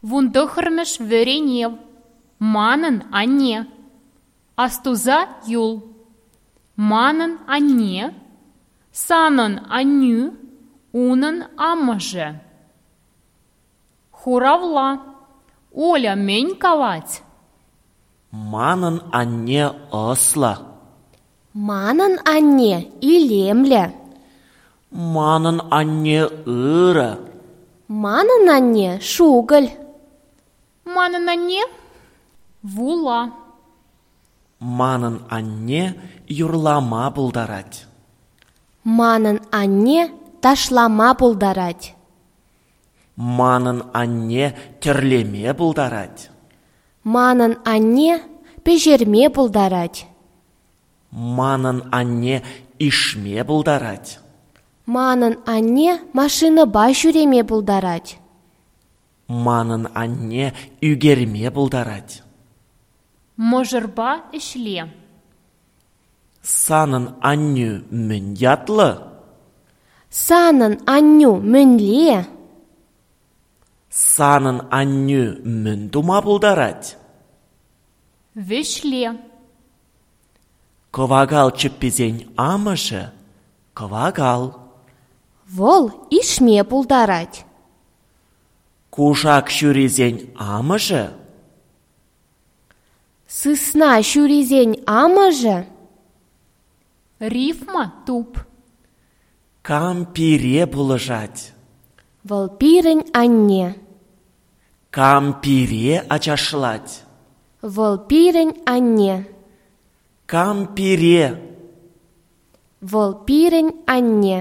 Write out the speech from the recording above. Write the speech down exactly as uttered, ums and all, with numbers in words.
Вунтӑххӑрмӗш вӗренев. Манӑн анне. Астуса юл. Манӑн анне, санӑн аннӳ, унӑн амӑшӗ. Хуравла. Оля мӗн калать? Манӑн анне ӑслӑ. Манӑн анне илемлӗ. Манӑн анне ырӑ. Манӑн анне шукӑль. Манӑн анне вула. Манӑн анне юрлама пултарать. Манӑн анне ташлама пултарать. Манӑн анне тӗрлеме пултарать. Манӑн анне пӗҫерме пултарать. Манӑн анне ишме пултарать. Манӑн анне машинӑпа ҫӳреме пултарать. Манӑн анне ӳкерме пултарать. Мӑшӑрпа ӗҫле. Санӑн аннӳ мӗн ятлӑ? Санӑн аннӳ мӗнле? Санӑн аннӳ мӗн тума пултарать? Вӗҫле. Кӑвакал чӗпписен амӑшӗ — кӑвакал. Вӑл ишме пултарать. Кушак ҫурисен амӑшӗ? Сысна ҫурисен амӑшӗ? Рифма туп. Кам пире пулӑшать? Вӑл пирӗн анне. Кам пире ачашлать? Вӑл пирӗн анне. Кам пире? Вӑл пирӗн анне.